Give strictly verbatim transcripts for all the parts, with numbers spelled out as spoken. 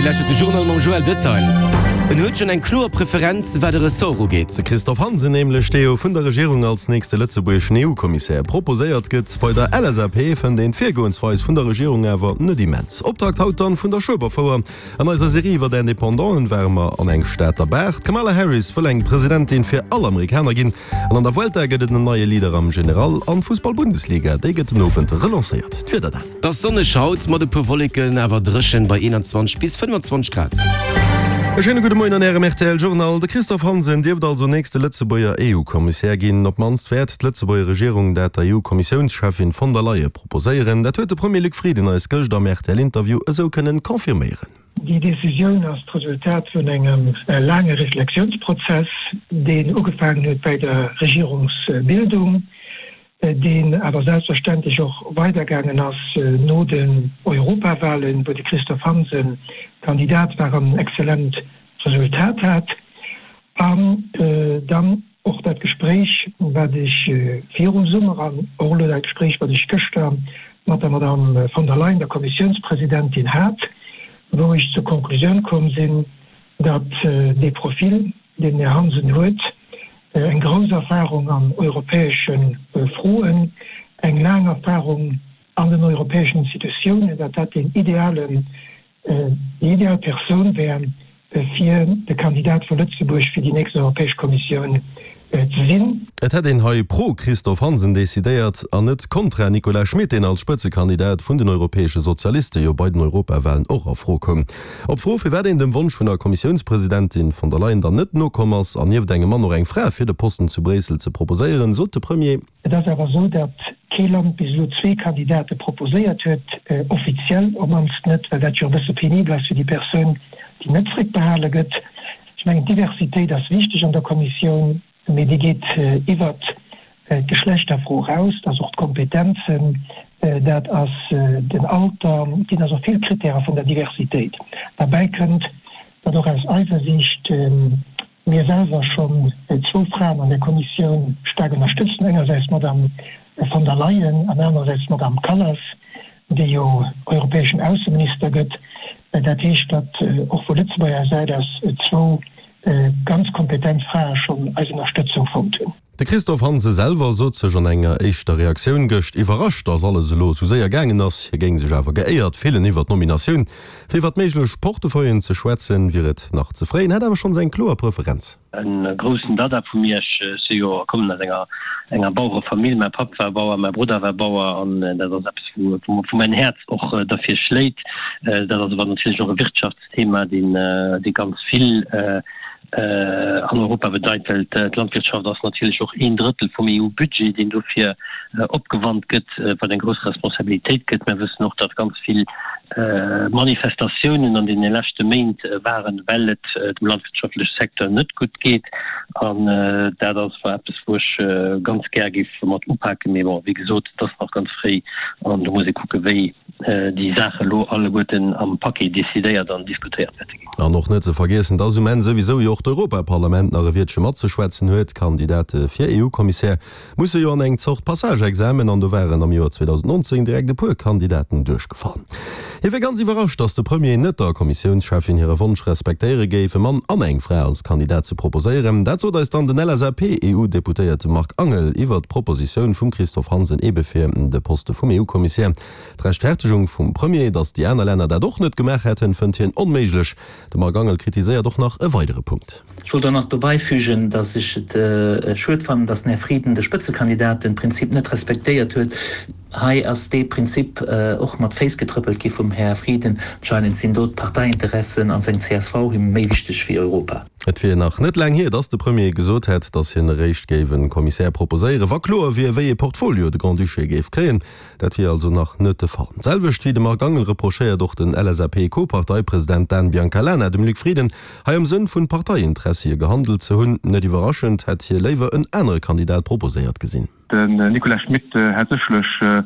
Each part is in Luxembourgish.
Dir lauschtert de Journal mam Joël Detail. En huet schonn eng kloer Preferenz, wat e Ressort ugeet. De Christophe Hansen nämlech, dee jo vun der Regierung als nächste lëtzebuergeschen E U-Kommissär proposéiert gëtt. Bei der L S A P fënnt een d'Virgoensweis vun der Regierung awer net immens. Optakt haut dann vun der Schueberfouer. An eiser Serie iwwer Independanten ware mer an eng Stater Bar. D'Kamala Harris wëll eng Presidentin fir all Amerikaner ginn. An an der Vuelta gëtt et en neie Leader am General. An d'Fussball-Bundesliga, déi gëtt den Owend relancéiert. D'Wieder dann. Et ass sonneg haut, mat e puer Wolleken, awer dréchen bei eenanzwanzeg bis fënnfanzwanzeg Grad. E schéine gudde Moien an Ärem R T L Journal. De Christophe Hansen dierft also nächste Lëtzebuerger E U-Kommissär ginn. Op d'mannst wäert d'Lëtzebuerger Regierung dat der E U-Kommissiounscheffin von der Leyen proposéieren. Dat huet de Premier Luc Frieden eis gëscht am R T L-Interview esou kënnen confirméieren. Déi Decisioun ass d'Resultat vun engem laange Reflexiounsprozess, deen ugefaangen huet bei der Regierungsbildung, deen awer selbstverständlech och weidergaangen ass no den Europawahlen, wou de Christophe Hansen Kandidat war an en exzellent Resultat hat. An dann och dat Gespréich, wat ech virum Summer an och elo dat Gespréich, wat ech gëschter mat der Madame von der Leyen, der Kommissiounspresidentin, hat, wou ech zur Konklusioun komm sinn, datt dee Profil, deen den Här Hansen huet, eng grouss Erfahrung an europäesche Froen, eng laang Erfahrung an den europäeschen Institutiounen, datt dat deen idealen, déi ideal Persoun wär, fir de Kandidat vu Lëtzebuerg fir déi nächst Europäesch Kommissioun ze sinn. Et hätt een hei pro Christophe Hansen decidéiert an net kontra Nicolas Schmit, deen als Spëtzekandidat vun den europäesche Sozialiste jo bei den Europawahlen och a Fro koum. Op d'Fro, firwat een dem Wonsch vun der Kommissiounspresidentin von der Leyen dann net nokomm ass an nieft engem Mann och eng Fra fir de Posten zu Bréissel ze proposéieren, sot de Premier. Et ass awer esou, datt kee Land bis elo zwee Kandidate proposéiert huet, offiziell op mannst net, well dat jo e bësse penibel ass fir déi Persoun, déi net zréckbehale gëtt. Ech mengen, d'Diversitéit ass wichteg an der Kommissioun, mee déi geet iwwert d'Geschlechterfro eraus. Dat ass och d'Kompetenzen, dat ass den Alter, et ginn also vill Kritäre vun der Diversitéit. Derbäi kënnt, datt och aus eiser Siicht mir selwer schonn zwou Fraen an der Kommissioun staark ënnerstëtzen, engersäits d'Madame von der Leyen an anerersäits d'Madame Kallas, déi jo europäeschen Ausseminister gëtt. Dat heescht, datt och vu Lëtzebuerger Säit aus zwou ganz kompetent Frae schonn eis Ënnerstëtzung fonnt hunn. De Christophe Hansen selwer sot sech an enger éischter Reaktioun gëscht iwwerrascht, datt alles elo esou séier gaangen ass. Hie géing sech awer geéiert fillen iwwer d'Nominatioun. Fir iwwer méiglech Portefeuillen ze schwätzen, wier et nach ze fréi, en hätt awer schonns eng kloer Preferenz. E groussen Dada vu mir, ech si jo kommen aus enger enger Bauerefamill, mäi Papp war Bauer, mäi Brudder war Bauer an dat ass eppes wou wou mäin Häerz och derfir schléit. Dat ass awer natierlech och e Wirtschaftsthema, deen dee ganz vill an Europa bedeit, well d'Landwirtschaft ass natierlech och een Drëttel vum E U-Budget, deen dofir opgewannt gëtt, wat eng grouss Responsabilitéit gëtt. Mir wëssen och, datt ganz vill Manifestatiounen an deene leschte Méint waren, well et dem landwirtschaftleche Secteur net gutt geet. An dat ass war eppes, wou ech ganz gär géif mat upaken. Mee bon, wéi gesot, et ass nach ganz fréi an do muss ee kucke wéi déi Saache lo alleguerten am Paquet decidéiert an diskutéiert wäerte ginn. An och net ze vergiessen, dass um Enn souwisou jo och d'Europaparlament nach e Wiertche matzeschwätzen huet. Kandidate fir E U-Kommissär musse jo an eng Zort Passage-Examen an do waren am Joer zweedausendnonzéng direkt e puer Kandidaten duerchgefall. Hie wier ganz iwwerrascht, dass de Premier net der Kommissiounscheffin hire Wonsch respektéiere géif, e Mann an eng Fra als Kandidat ze proposéieren. Dat sot eis dann den L S A P-E U-Deputéierte Marc Angel iwwer d'Propositioun vum Christophe Hansen ebe fir de Poste vum E U-Kommissär. D'Rechtfertegung vum Premier, dass déi aner Länner dat och net gemaach hätten, fënnt hien onméiglech. De Marc Angel kritiséiert och nach e weidere Punkt. Ech wollt och nach dobäi fügen, dass ech et schued fannen, dass den Här Frieden de Spëtzekandidatenprinzip net respektéiert huet. Hei ass dee Prinzip och mat Féiss getrëppelt gi vum Här Frieden. Anscheinend sinn do d'Parteiinteressen an seng C S V him méi wichteg wéi Europa. Et wier nach net laang hier, dass de Premier gesot hätt, dass hien eréischt géif e Kommissär proposéieren, wa kloer wier, wéi ee Portfolio de Grand-Duché géif kréien. Dat wier also nach net de Fall. D'selwecht wéi de Marc Angel reprochéiert och den L S A P-Co-Parteipresident Dan Biancalana dem Luc Frieden, hei am Sënn vun Parteiinteressie gehandelt ze hunn. Net iwwerraschend hätt hie léiwer en anere Kandidat proposéiert gesinn. Den Nicolas Schmit hätt sécherlech e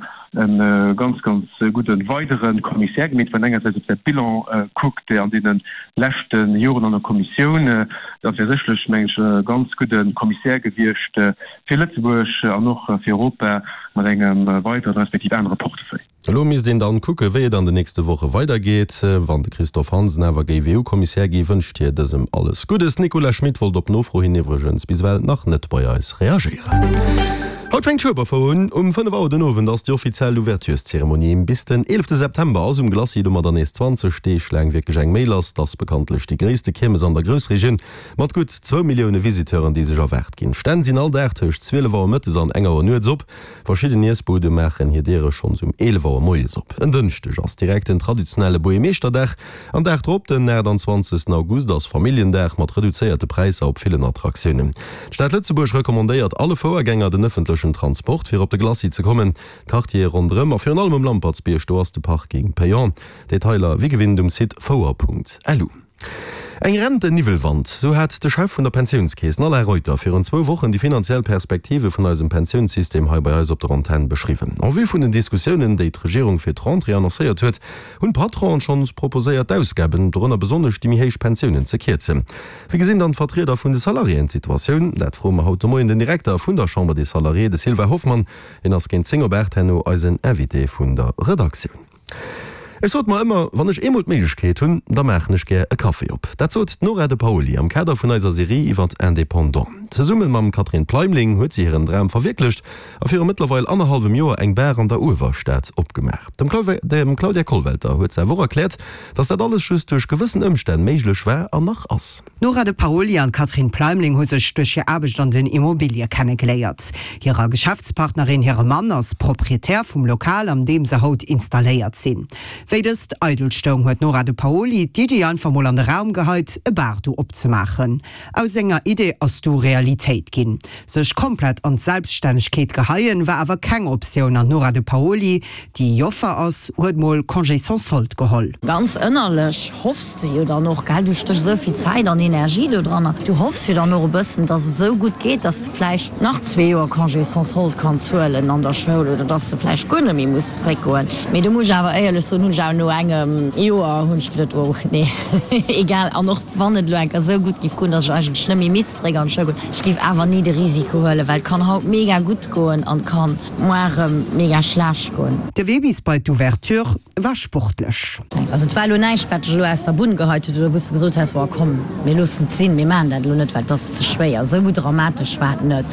ganz, ganz gudde weidere Kommissär gemeet, wann een engersäits op säi Bilan kuckt an deene leschte Joren an der Kommissioun. Dat wär sécherlech, mengen ech, e ganz gudde Kommissär gewiescht fir Lëtzebuerg an och fir Europa mat engem weideren respektiv anere Portefeuille. Elo misst een dann kucke wéi et an de nächste Woche weidergeet. Wann de Christophe Hansen awer géif EU-Kommissär gi wënscht hie dësem alles Guddes. Nicolas Schmit wollt op Nofro hin iwwregens bis ewell nach net bei eis reagéieren. Haut fänkt d'Schueberfouer un. Um fënnef Auer den Owend ass déi offiziell Ouvertureszeremonie. Bis den eelefte September ass um Glacis domadder nees zwanzeg Deeg laang wierklech eng Méi lass. Et ass bekanntlech déi gréisste Kiermes an der Groussregioun mat gutt zwou Millioune Visiteuren, déi sech erwaart ginn. D'Stänn sinn all Dag tëscht zwielef Auer mëttes an eng Auer nuets op. Verschidden Iessbude maachen hir Diere schonns um eelef Auer moies op. En Dënschdeg ass direkt den traditionelle Buergermeeschterdag. An Dag drop, den aachtanzwanzegsten August, ass Familljendag mat reduzéierte Präisser op villen Attraktiounen. D'Stad Lëtzebuerg recommandéiert alle Fouergänger den ëffentlechen Transport fir op de Glacis ze kommen. D'Quartiere ronderëm a virun allem um Lampertsbierg, do ass de Parking payant. Detailer wéi gewinnt um Site fouer Punkt lu. Eng Renten-Niwwelwand, sou hat de Chef vun der Pensiounskeess, den Alain Reuter, virun zwou Wochen déi finanziell Perspektive vun eisem Pensiounssystem hei bei eis op der Antenn beschriwwen. En vue vun den Diskussiounen, déi d'Regierung fir d'Rentrée annoncéiert huet, hunn d'Patronen schonns proposéiert, d'Ausgaben, dorënner besonnesch déi méi héich Pensiounen, ze kierzen. Wéi gesinn dann d'Vertrieder vun de Salariéen d'Situatioun? Dat froe mer haut de Moien den Direkter vun der Chambre des Salariés, de Sylvain Hoffmann. Hien ass géint zéng op aacht herno eisen Invité vun der Redaktioun. Ech sot mer ëmmer, wann ech eemol d'Méiglechkeet hunn, da maachen ech gär e Café op. Dat sot d'Nora De Paoli am Kader vun eiser Serie iwwert Indépendants. Zesumme mam Catherine Pleimling huet si hiren Dram verwierklecht a viru mëttlerweil annerhallwem Joer eng Bar an der Uewerstad opgemaach. Dem Claudia Kollwelter huet se awer och erkläert, dass dat alles just duerch gewëssen Ëmstänn méiglech war an nach ass. D'Nora De Paoli an d'Catherine Pleimling hu sech duerch hir Aarbecht an den Immobilie kennegeléiert. Hirer Geschäftspartnerin hire Mann ass Proprietär vum Lokal, an deem se haut installéiert sinn. Wéi dëst eidel stoung, huet d'Nora De Paoli d'Iddi einfach mol an de Raum geheit, e Bar do opzemaachen. Aus enger Idee ass du Realitéit ginn. Sech komplett an d'Selbststännegkeet geheien, war awer keng Optioun an d'Nora De Paoli, déi Joffer ass, huet mol Congé sans solde geholl. Ganz ënnerlech hoffs de jo dann och, gell, du stéchs esou vill Zäit an Energie do dran, du hoffs jo dann och e bëssen, dass et esou gutt geet, dass de vläicht nach zwee Joer Congé sans solde kanns huelen an der Schoul oder dass de vläicht guer net méi muss zréckgoen. Mee do muss ech awer éierlech soen, hunn ech awer no engem Joer hunn ech geduet, oh nee, egal. An och wann et elo eng Kéier esou gutt géif goen, dass ech eigentlech net méi misst zréck an d'Schoul goen, ech géif awer ni de Risiko huelen, well et kann haut mega gutt goen an et kann muar erëm mega schlecht goen. De Wee bis bei d'Ouverture war sportlech. Also et war elo näischt, wat dech elo aus der Bunn geheit huet oder wou s de gesot häss, oh komm, mir loossen et sinn, mir maachen dat elo net, well et ass ze schwéier. Esou dramatesch war et net.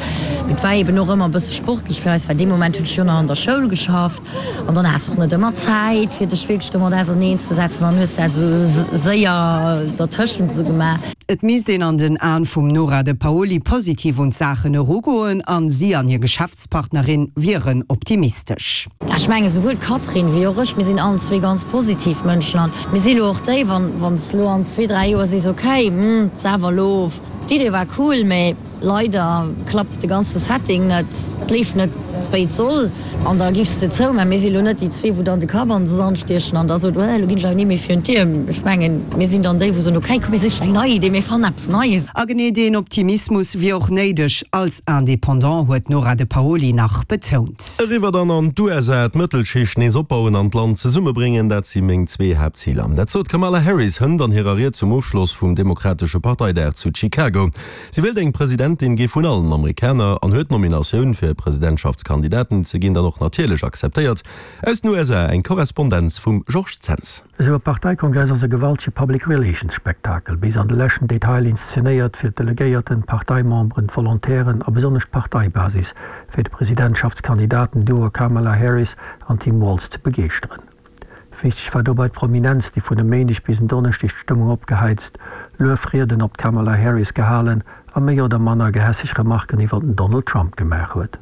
Mee et war eeben och ëmmer e bësse sportlech fir eis, well dee Moment hunn ech jo nach an der Schoul geschafft an dann has och net ëmmer Zäit, fir dech wierklech domat auserneen ze setzen. Dann hues de dat esou séier dertëschent esou gemaach. Et misst een an den Aen vum Nora De Paoli positiv un d'Saachen erugoen an si an hir Geschäftspartnerin wieren optimistesch. Ech mengen, esouwuel d'Catherine wéi och ech, mir sinn allen zwee ganz positiv Mënschen an mir si lo och déi, wann wann s lo an zwee, dräi Joer sees, okay, hm, 't ass awer elo, d'Idee war cool, mä leider klappt de ganze Setting net, 't leeft net wéi et soll an da giffs de zou. Mä mir si lo net déi zwee, wou dann de Kapp an de Sand stiechen an da soen, oh, elo ginn ech awer ni méi virun d'Dier. Ech mengen, mir sinn dann déi, wou soen, okay, komm mir sichen eng nei Idee, mir fannen eppes Neies. A genee deen Optimismus wier och néideg als Indépendant, huet d'Nora De Paoli nach betount. Eriwwer dann an d'USA, D'Mëttelschicht nees opbauen an d'Land zesummebréngen, dat si meng zwee Haaptziler. Dat sot d'Kamala Harris hënt an hirer Ried zum Ofschloss vum demokratesche Parteidag zu Chicago. Si wéilt eng Presidentin gi vun allen Amerikaner an huet d'Nominatioun fir Presidentschaftskandidatin ze ginn dann och natierlech akzeptéiert. Aus den U S A eng Korrespondenz vum Georges Zens. Esou e Parteikongress ass e gewaltege Public Relations Spektakel, bis an de leschten Detail inszenéiert fir d'Delegéierten, d'Parteimemberen, d'Volontairen a besonnesch d'Parteibasis fir de Presidentschaftskandidaten-Duo Kamala Harris an Tim Walz ze begeeschteren. Wichteg war dobäi d'Prominenz, déi vun e Méindeg bis en Donneschdeg d'Stëmmung opgeheizt, Luefrieden op d'Kamala Harris gehalen a méi oder manner gehässeg Remarken iwwer den Donald Trump gemaach huet.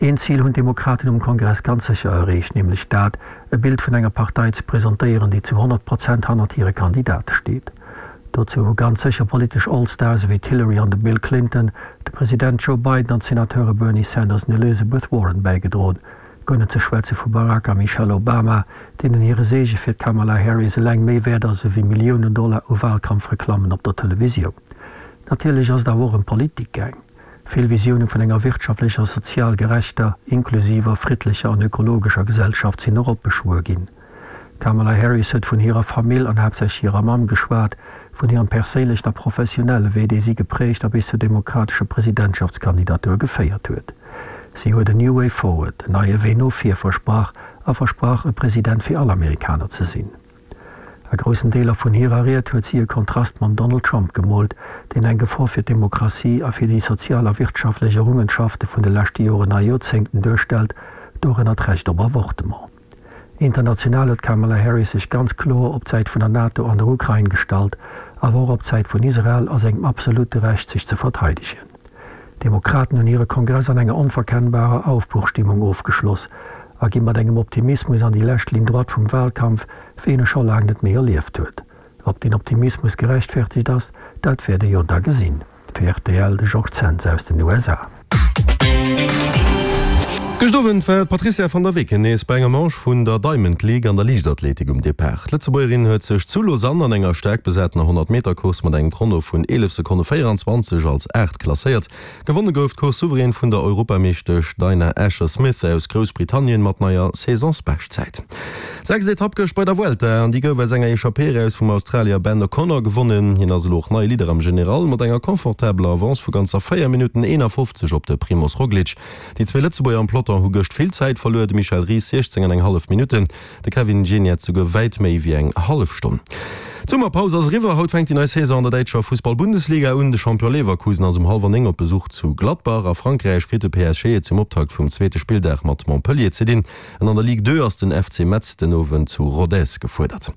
Een Zil hunn d'Demokraten um Kongress ganz sécher erreecht, nämlech dat, e Bild vun enger Partei ze presentéieren, déi zu honnert Prozent hannert hire Kandidate steet. Dozou hu ganz sécher politesch All-Stars ewéi d'Hillary an de Bill Clinton, de President Joe Biden an d'Senateure Bernie Sanders an Elizabeth Warren bäigedroen, guer net ze schwätze vu Barack a Michelle Obama, deenen hire Seege fir d'Kamala Harris eleng méi wäert ass ewéi Milliounen Dollar u Walkampfreklammen op der Televisioun. Natierlech ass et awer och ëm Politik gaang. Vill Visioune vun enger wirtschaftlecher, sozial gerechter, inklusiver, friddlecher an ökologescher Gesellschaft sinn eropbeschwuer ginn. D'Kamala Harris huet vun hirer Famill an haaptsächlech hirer Mamm geschwat, vun hirem perséinlechen a professionelle Wee, dee si geprägt a bis zur demokratescher Presidentschaftskandidatur geféiert huet. Si huet e New Way Forward, en neie Wee no vir, versprach a versprach, e President fir all Amerikaner ze sinn. A groussen Deeler vun hirer Ried huet si e Kontrast mam Donald Trump gemoolt, deen eng Gefor fir d'Demokratie a fir déi sozial a wirtschaftlech Errungenschafte vun de leschte Joren a Joerzéngten duerstellt, dorënner d'Recht op Avortement. International huet d'Kamala Harris sech ganz kloer op d'Säit vun der NATO an der Ukrain gestallt, awer och op d'Säit vun Israel a sengem absolute Recht sech ze verteidegen. D'Demokraten hunn hire Kongress an enger onverkennbarer Aufbruchstimmung ofgeschloss a gi mat engem Optimismus an déi lescht Ligne droite vum Wahlkampf, wéi een e scho laang net méi erlieft huet. Ob deen Optimismus gerechtfertegt ass, dat wäert ee jo da gesinn. Fir rtl, de Georges Zens aus den U S A. Gëscht Owend war d'Patrizia van der Weken nees bei enger Manche vun der Diamond League an der Liichtathletik um Depart. D'Lëtzebuergerin huet sech zu Lausanne an enger staark besatener Honnert-Meter-Course mat engem Chrono vun eelef Sekonne véieranzwanzeg als Aacht klasséiert. Gewonne gouf d'Course souverän vun der Europameeschtesch Dina Asher-Smith aus Groussbritannien mat neier Saisonsbeschtzäit. Sechst Etapp gëscht bei der Vuelta an déi gouf aus enger Echappée eraus vum Australier Ben O'Connor gewonnen. Hien ass elo och neie Leader am General mat enger confortabeler Avance vu ganzer véier Minutten eenafofzeg op de Primoz Roglic. Déi zwee Lëtzebuerger am Peloton hu gëscht vill Zäit verluer, de Michel Ries siechzéng an eng hallef Minutten, de Kevin Geniets souguer wäit méi wéi eng hallef Stonn. D'Summerpaus ass eriwwer, haut fänkt déi nei Saison an der däitscher Fussball-Bundesliga un. De Champion Leverkusen ass um hallwer néng op Besuch zu Gladbach. A Frankräich kritt de P S G et zum Optakt vum zweete Spilldag mat Montpellier ze dinn. An an der Ligue deux ass den F C Metz den Owend zu Rodez gefuerdert.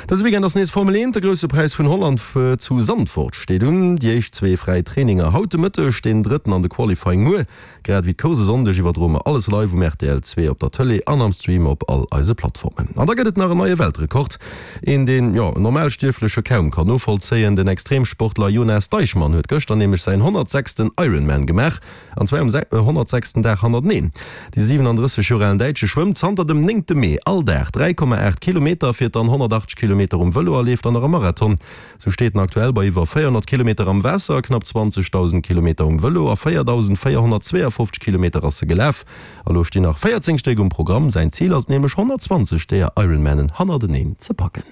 Dëse Weekend ass nees Formel eent, de Grousse Präis vun Holland zu Zandvoort steet un. Déi éischt zwee fräi Traininger haut de Mëtteg, deen drëtten an de Qualifying muer. Grad ewéi d'Course e Sonndeg iwwerdroe mer alles live um R T L zwee op der Tëlee an am Stream op all eise Plattformen. An da gëtt et nach en neie Weltrekord, een deen, jo, en Normalstierfleche kaum kann novollzéien. Den Extremsportler Jonas Deichmann huet gëschter nämlech säin honnertsechsten Ironman gemaach, an zwar um honnertsechsten Dag hannerteneen. De siwenandrësseg Joer alen Däitsche schwëmmt zanter dem néngte Mee all Dag dräi Komma aacht Kilometer, fiert dann honnertachtzeg Kilometer um Vëlo a leeft dann nach e Marathon. Sou steet en aktuell bei iwwer véierhonnert Kilometer am Waasser, knapp zwanzegdausend Kilometer um Vëlo a véierdausendvéierhonnertzweeafofzeg Kilometer ass e gelaf. A lo stinn nach véierzéng Stéck um Programm. Säin Zil ass et nämlech honnertzwanzeg deeër Ironmanen hannerteneen ze packen.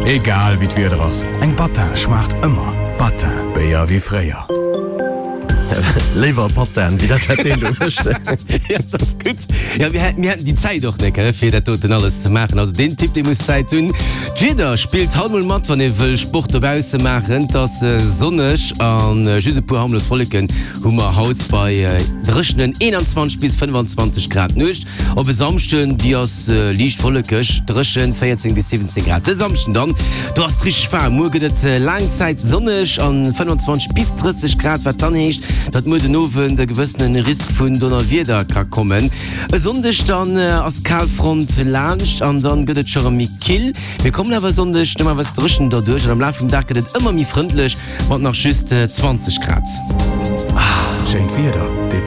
Egal wéi d'Wieder ass, eng Battin schmaacht ëmmer. Battin, Béier wéi fréier. Léiwer Patin wéi dat wat deen do mécht. Ja, dat ass gutt. Ja, mir hätten, mir hätten déi Zäit och net, fir dat doten alles ze maachen. Also deen Typ, dee muss Zäit hunn. D'Wieder spillt haut mol mat, wann ee wëll Sport dobausse maachen. Et ass sonneg an just e puer harmlos Wolleken hu mer haut bei dréchenen eenanzwanzeg bis fënnfanzwanzeg Grad. D'Nuecht op e Samschden, déi ass liicht wollekeg, dréchen, véierzéng bis siwwenzéng Grad. De Samschden dann, do ass et richteg waarm. Muer gëtt et laang Zäit sonneg an fënnfanzwanzeg bis drësseg Grad, wat dann heescht, datt muer den Owend e gewëssene Risk vun Donnerwieder ka kommen. E Sonndeg dann ass d'Kalfront laanscht an dann gëtt et scho rëm méi kill. Mir kommen awer e Sonndeg normalerweis dréchen derduerch an am Laf vum Dag gëtt et ëmmer méi frëndlech mat nach just zwanzeg Grad. Schéint Wieder, dee.